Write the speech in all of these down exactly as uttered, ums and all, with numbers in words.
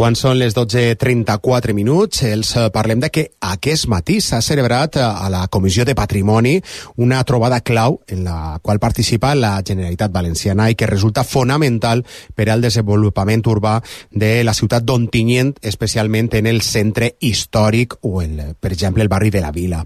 Quan són les dotze trenta-quatre minuts, els parlem de que aquest matí s'ha celebrat a la Comissió de Patrimoni una trobada clau en la qual participa la Generalitat Valenciana i que resulta fonamental per al desenvolupament urbà de la ciutat d'Ontinyent, especialment en el centre històric o, el, per exemple, el barri de la Vila.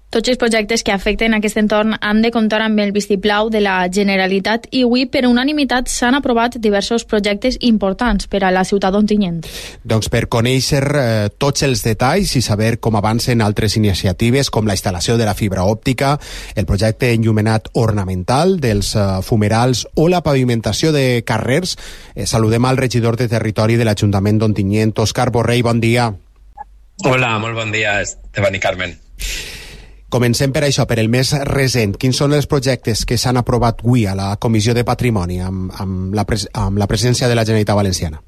Tots els projectes que afecten aquest entorn han de comptar amb el vistiplau de la Generalitat i avui, per unanimitat, s'han aprovat diversos projectes importants per a la ciutat d'Ontinyent. Doncs per conèixer eh, tots els detalls i saber com avancen altres iniciatives com la instal·lació de la fibra òptica, el projecte enllumenat ornamental dels eh, fumerals o la pavimentació de carrers, eh, saludem al regidor de Territori de l'Ajuntament d'Ontinyent, Òscar Borrell, bon dia. Hola, molt bon dia, Esteban i Carmen. Comencem per això, per el més recent. Quins són els projectes que s'han aprovat avui a la Comissió de Patrimoni amb, amb, la, pres amb la presència de la Generalitat Valenciana?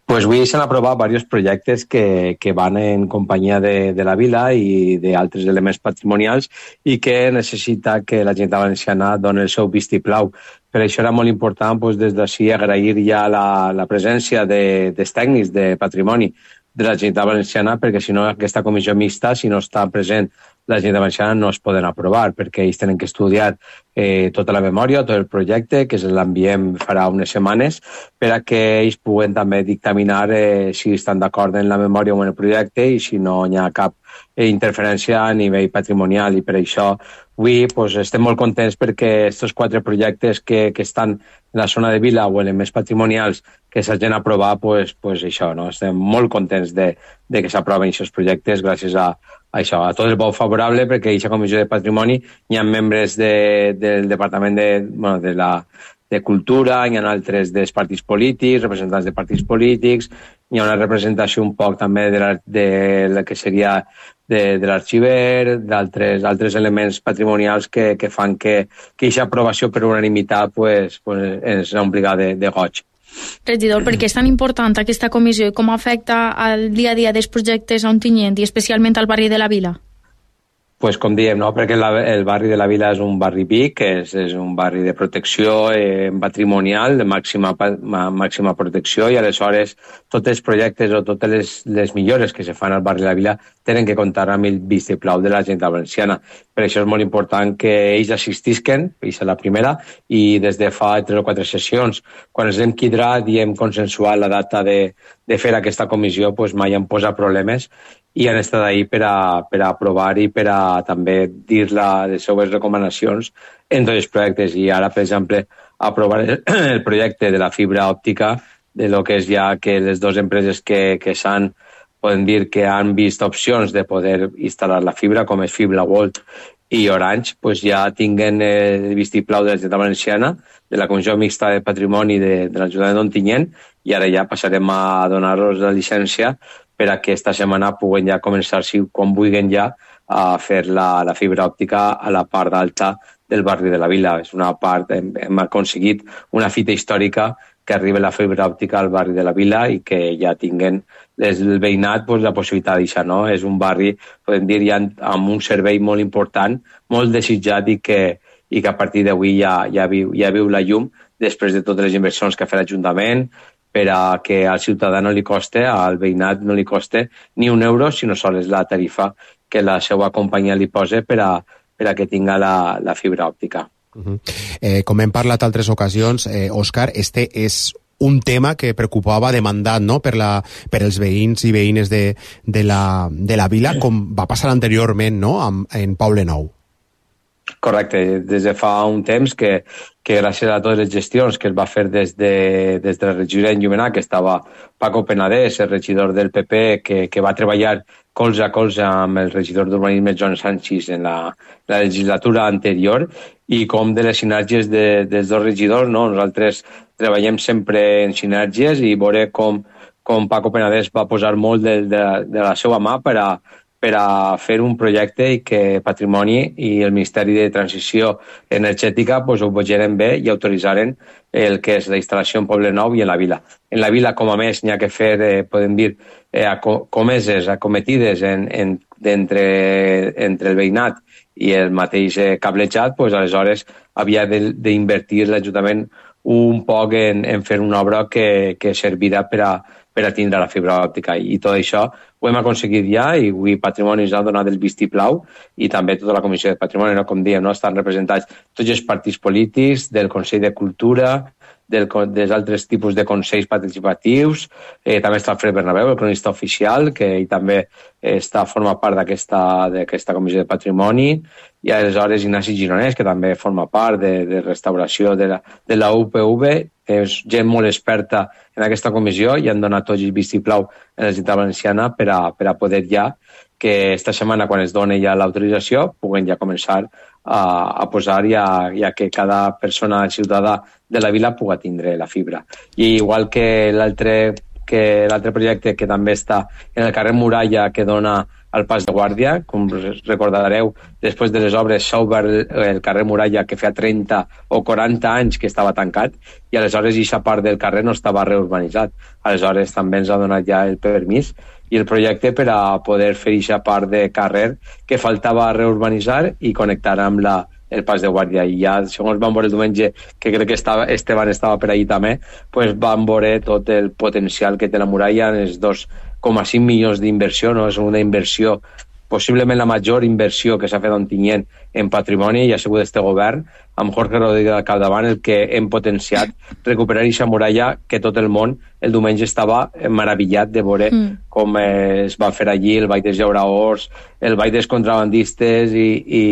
Pues avui s'han aprovat diversos projectes que, que van en companyia de, de la Vila i d'altres elements patrimonials i que necessita que la Generalitat Valenciana doni el seu vistiplau. Per això era molt important pues, des d'ací agrair ja la, la presència de, dels tècnics de patrimoni de la Generalitat Valenciana, perquè si no aquesta comissió mixta, si no està present la Generalitat Valenciana, no es poden aprovar, perquè ells tenen que estudiar eh, tota la memòria, tot el projecte, que l'enviem farà unes setmanes, per a que ells puguen també dictaminar eh, si estan d'acord en la memòria o en el projecte i si no hi ha cap eh, interferència a nivell patrimonial. I per això avui pues, estem molt contents perquè aquests quatre projectes que, que estan en la zona de Vila o elements patrimonials que s'hagin aprovat, pues, pues això, no? Estem molt contents de, de que s'aproven aquests projectes gràcies a, a això, a tot el vot favorable, perquè a aquesta comissió de patrimoni hi ha membres de, del Departament de, bueno, de, la, de Cultura, hi ha altres dels partits polítics, representants de partits polítics, hi ha una representació un poc també de, la, de la que seria de, de l'arxiver, d'altres altres elements patrimonials que, que fan que aquesta aprovació per unanimitat pues, pues, ens obliga de, de goig. Regidor, per què és tan important aquesta comissió i com afecta al dia a dia dels projectes a Ontinyent i especialment al barri de la Vila? Pues com diem, no? Perquè la, el barri de la Vila és un barri vic, és, és un barri de protecció eh, patrimonial, de màxima, ma, màxima protecció, i aleshores tots els projectes o totes les, les millores que se fan al barri de la Vila tenen que comptar amb el vistiplau de la Generalitat Valenciana. Per això és molt important que ells assistisquen, és la primera, i des de fa tres o quatre sessions, quan ens hem quidrat i hem consensuat la data de, de fer aquesta comissió, pues mai han posat problemes i han estat ahí per a, per a aprovar i per a també dir la, les seves recomanacions en tots els projectes. I ara, per exemple, aprovar el, el projecte de la fibra òptica, de lo que és ja que les dues empreses que, que s'han, poden dir que han vist opcions de poder instal·lar la fibra, com és Fibra World i Orange, pues ja tinguen el vistiplau de la Generalitat Valenciana, de la Comissió Mixta de Patrimoni de, de l'Ajuntament d'Ontinyent, i ara ja passarem a donar-los la llicència per a que esta setmana puguen ja començar, si quan vulguin ja, a fer la, la fibra òptica a la part alta del barri de la Vila. És una part, hem, hem aconseguit una fita històrica que arribi la fibra òptica al barri de la Vila i que ja tinguen el veïnat pues, la possibilitat d'això, no? És un barri, podem dir, ja amb un servei molt important, molt desitjat i que, i que a partir d'avui ja, ja, viu, ja viu la llum després de totes les inversions que ha fet l'Ajuntament, per a que al ciutadà no li coste, al veïnat no li coste ni un euro, sinó sols la tarifa que la seva companyia li posa per a, per a que tinga la, la fibra òptica. Uh-huh. eh, com hem parlat altres ocasions, eh, Òscar, este és un tema que preocupava demandat, no?, per, la, per els veïns i veïnes de, de, la, de la Vila, com va passar anteriorment, no?, amb, en Poblenou. Correcte, des de fa un temps que, que gràcies a totes les gestions que es va fer des de, des de la regidoria d'Enllumenat, que estava Paco Penedès, el regidor del P P, que, que va treballar colze a colze amb el regidor d'Urbanisme Joan Sánchez en la, la legislatura anterior, i com de les sinergies de, dels dos regidors, no? Nosaltres treballem sempre en sinergies i veure com, com Paco Penedès va posar molt de, de, de la seva mà per a per a fer un projecte i que Patrimoni i el Ministeri de Transició Energètica pues, ho vegeren bé i autoritzaren el que és la instal·lació en Poblenou i en la Vila. En la Vila, com a més, n'hi ha que fer, eh, podem dir, eh, comeses, acometides en, en, entre, entre el veïnat i el mateix eh, cablejat, pues, aleshores havia d'invertir l'Ajuntament un poc en, en fer una obra que, que servirà per a, per a tindre la fibra òptica. I tot això ho hem aconseguit ja, i avui Patrimoni ens ha donat el vistiplau, i també tota la Comissió de Patrimoni, no? Com diem, no? Estan representats tots els partits polítics, del Consell de Cultura, del, dels altres tipus de consells participatius, eh, també està Alfred Bernabéu, el cronista oficial, que ell també està forma part d'aquesta Comissió de Patrimoni, i aleshores Ignasi Gironès, que també forma part de, de restauració de la, de la U P V, és gent molt experta en aquesta comissió i han donat tots el vistiplau en la Generalitat Valenciana per a, per a poder ja, que esta setmana, quan es doni ja l'autorització, puguen ja començar a, a posar ja, ja que cada persona ciutadà de la vila pugui tindre la fibra. I igual que l'altre que l'altre projecte que també està en el carrer Muralla, que dona al Pas de Guàrdia, com recordareu, després de les obres s'ha obert el carrer Muralla, que feia trenta o quaranta anys que estava tancat, i aleshores aquesta part del carrer no estava reurbanitzat. Aleshores també ens ha donat ja el permís i el projecte per a poder fer aquesta part de carrer que faltava reurbanitzar i connectar amb la, el Pas de Guàrdia. I ja, segons vam veure el diumenge, que crec que estava, Esteban estava per allí també, pues vam veure tot el potencial que té la muralla en els dos coma cinc milions d'inversió, no? És una inversió, possiblement la major inversió que s'ha fet a Ontinyent en patrimoni, i ha sigut este govern, amb Jorge Rodríguez al capdavant, el que hem potenciat recuperar aquesta muralla que tot el món el diumenge estava meravellat de veure mm. com eh, es va fer allí el ball dels llauraors, el ball dels contrabandistes i, i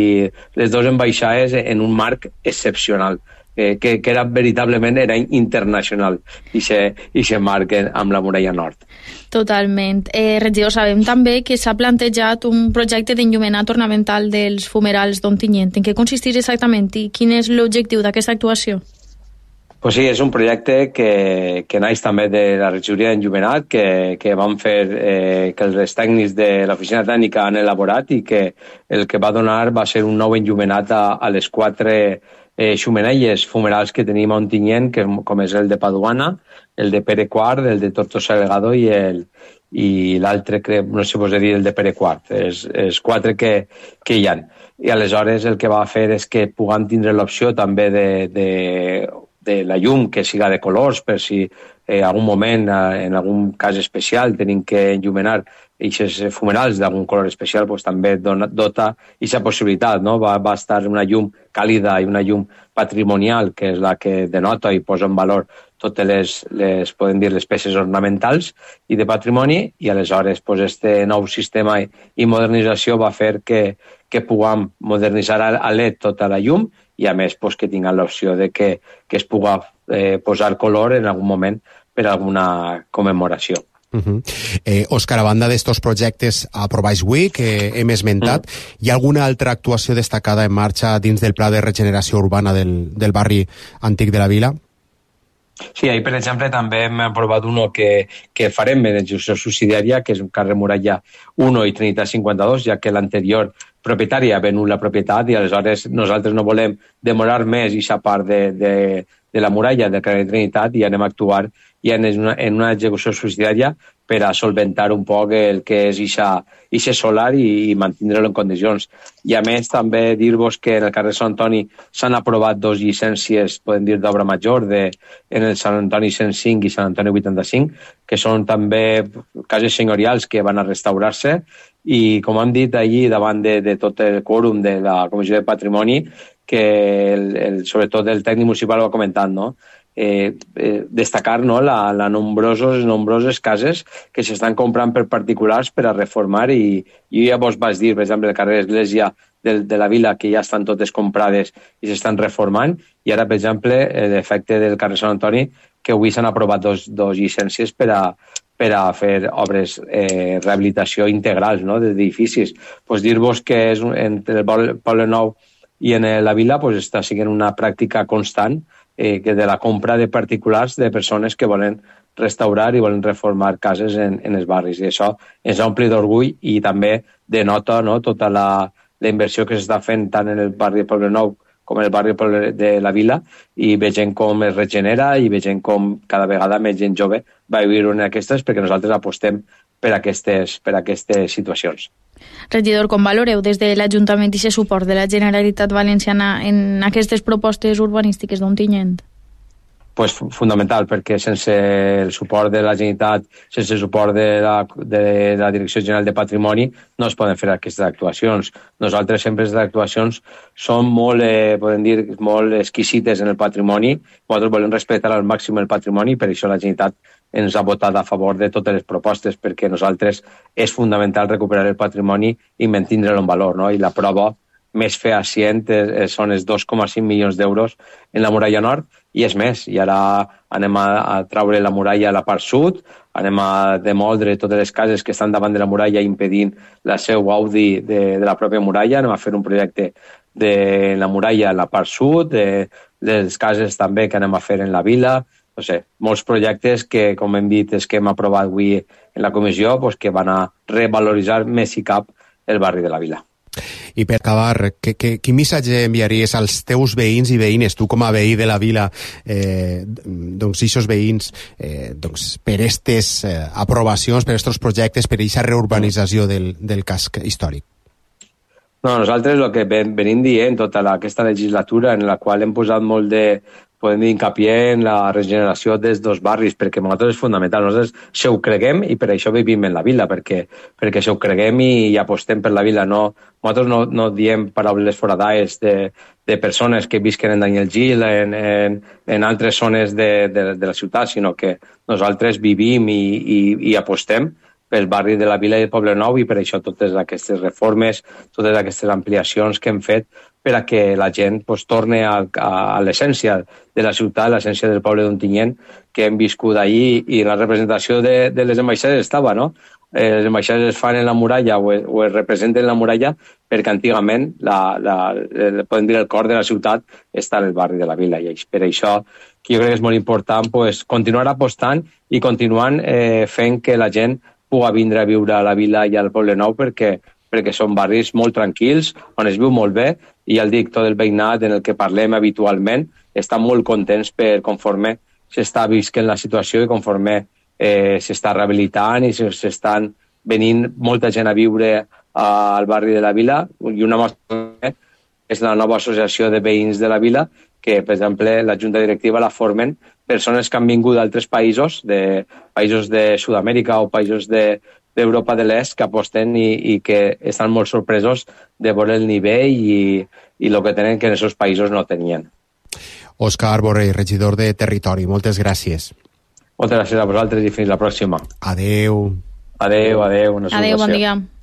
les dues ambaixades en un marc excepcional. Que, que, que era veritablement era internacional i se, i se marquen amb la muralla nord. Totalment. Eh, regidor, sabem també que s'ha plantejat un projecte d'enllumenat ornamental dels fumerals d'Ontinyent. En què consisteix exactament i quin és l'objectiu d'aquesta actuació? Pues sí, és un projecte que, que naix també de la regidoria d'enllumenat, que, que van fer, eh, que els tècnics de l'oficina tècnica han elaborat, i que el que va donar va ser un nou enllumenat a, a les quatre eh, xumenelles fumerals que tenim a Ontinyent, que, com és el de Paduana, el de Pere Quart, el de Tortosa Delgado i el i l'altre, no sé vos he dit, el de Pere Quart. És, és quatre que, que hi ha. I aleshores el que va fer és que puguem tindre l'opció també de, de, de la llum que siga de colors, per si eh, algun moment, eh, en algun cas especial, tenim que enllumenar aquests fumerals d'algun color especial, pues, també dona, dota aquesta possibilitat, no? Va, va estar una llum càlida i una llum patrimonial, que és la que denota i posa en valor totes les, les, podem dir, les peces ornamentals i de patrimoni, i aleshores pues, este nou sistema i, i modernització va fer que, que puguem modernitzar a L E D tota la llum, i a més pues, que tinguin l'opció de que, que es pugui eh, posar color en algun moment per alguna commemoració. Uh-huh. eh, Òscar, a banda d'estos projectes aprovats avui que hem esmentat, uh-huh. hi ha alguna altra actuació destacada en marxa dins del pla de regeneració urbana del, del barri antic de la vila? Sí, ahir, per exemple, també hem aprovat uno que, que farem en execució subsidiària, que és un carrer Muralla u i Trinitat cinquanta-dos, ja que l'anterior propietari ha venut la propietat i aleshores nosaltres no volem demorar més aquesta part de, de, de la muralla del carrer Trinitat i anem a actuar ja en una, en una execució subsidiària per a solventar un poc el que és ixe solar i, i mantindre-lo en condicions. I a més també dir-vos que en el carrer Sant Antoni s'han aprovat dos llicències, podem dir, d'obra major de, en el Sant Antoni cent cinc i Sant Antoni vuitanta-cinc, que són també cases senyorials que van a restaurar-se, i com hem dit allí davant de, de tot el quòrum de la Comissió de Patrimoni, que el, el, sobretot el tècnic municipal va comentant, no? Eh, eh, destacar, no, la, la nombrosos, nombroses cases que s'estan comprant per particulars per a reformar, i, i ja vos vaig dir, per exemple, el carrer Església de, de la vila, que ja estan totes comprades i s'estan reformant, i ara, per exemple, l'efecte del carrer Sant Antoni, que avui s'han aprovat dos, dos llicències per a, per a fer obres eh, rehabilitació integrals, no, d'edificis. Pues dir-vos que és, entre el Poble Nou i en la vila pues, està sent una pràctica constant eh, que de la compra de particulars de persones que volen restaurar i volen reformar cases en, en els barris. I això ens ompli d'orgull i també denota, no, tota la, la inversió que s'està fent tant en el barri de Poble Nou com en el barri de la vila, i vegem com es regenera i vegem com cada vegada més gent jove va viure en aquestes, perquè nosaltres apostem per aquestes, per aquestes situacions. Regidor, com valoreu des de l'Ajuntament i aquest suport de la Generalitat Valenciana en aquestes propostes urbanístiques d'Ontinyent? pues, fundamental, perquè sense el suport de la Generalitat, sense el suport de la, de la Direcció General de Patrimoni, no es poden fer aquestes actuacions. Nosaltres sempre les actuacions són molt, eh, podem dir, molt exquisites en el patrimoni. Nosaltres volem respectar al màxim el patrimoni, per això la Generalitat ens ha votat a favor de totes les propostes, perquè nosaltres és fundamental recuperar el patrimoni i mantindre'l en valor, no? I la prova més fehacient són els dos coma cinc milions d'euros en la muralla nord, i és més, i ara anem a, a traure la muralla a la part sud, anem a demoldre totes les cases que estan davant de la muralla impedint la seu gaudi de, de la pròpia muralla, anem a fer un projecte de la muralla a la part sud, de, de les cases també que anem a fer en la vila, no sé, molts projectes que, com hem dit, és que hem aprovat avui en la comissió, pues, que van a revaloritzar més i cap el barri de la vila. I per acabar, que, que, quin missatge enviaries als teus veïns i veïnes, tu com a veí de la vila, eh, doncs aquests veïns, eh, doncs, per aquestes eh, aprovacions, per aquests projectes, per aquesta reurbanització del, del casc històric? No, nosaltres el que venim dient tota la, aquesta legislatura, en la qual hem posat molt de, podem dir, hincapié en la regeneració dels dos barris, perquè per nosaltres és fundamental. Nosaltres se ho creguem i per això vivim en la vila, perquè, perquè se ho creguem i, i apostem per la vila. No, nosaltres no, no diem paraules foradades de, de persones que visquen en Daniel Gil, en, en, en altres zones de, de, de la ciutat, sinó que nosaltres vivim i, i, i apostem pel barri de la Vila i el Poble Nou, i per això totes aquestes reformes, totes aquestes ampliacions que hem fet per a que la gent pues, torni a, a, a l'essència de la ciutat, l'essència del poble d'Ontinyent, que hem viscut ahir, i la representació de, de les ambaixades estava, no? Eh, les ambaixades es fan en la muralla o es, o es representen en la muralla perquè antigament la, la, el, podem dir, el cor de la ciutat està en el barri de la Vila, i per això que jo crec que és molt important pues, continuar apostant i continuant eh, fent que la gent pugui vindre a viure a la Vila i al Poble Nou, perquè perquè són barris molt tranquils, on es viu molt bé, i ja el dic, tot el veïnat en el que parlem habitualment està molt contents per conforme s'està visquent la situació i conforme eh, s'està rehabilitant i s'estan venint molta gent a viure al barri de la Vila, i una mostra és la nova associació de veïns de la Vila, que, per exemple, la junta directiva la formen persones que han vingut d'altres països, de països de Sud-amèrica o països de d'Europa de l'Est, que aposten i, i que estan molt sorpresos de veure el nivell i, i el que tenen que en aquests països no tenien. Òscar Borrell, regidor de Territori, moltes gràcies. Moltes gràcies a vosaltres i fins la pròxima. Adeu. Adeu, adeu. Adeu, bon dia.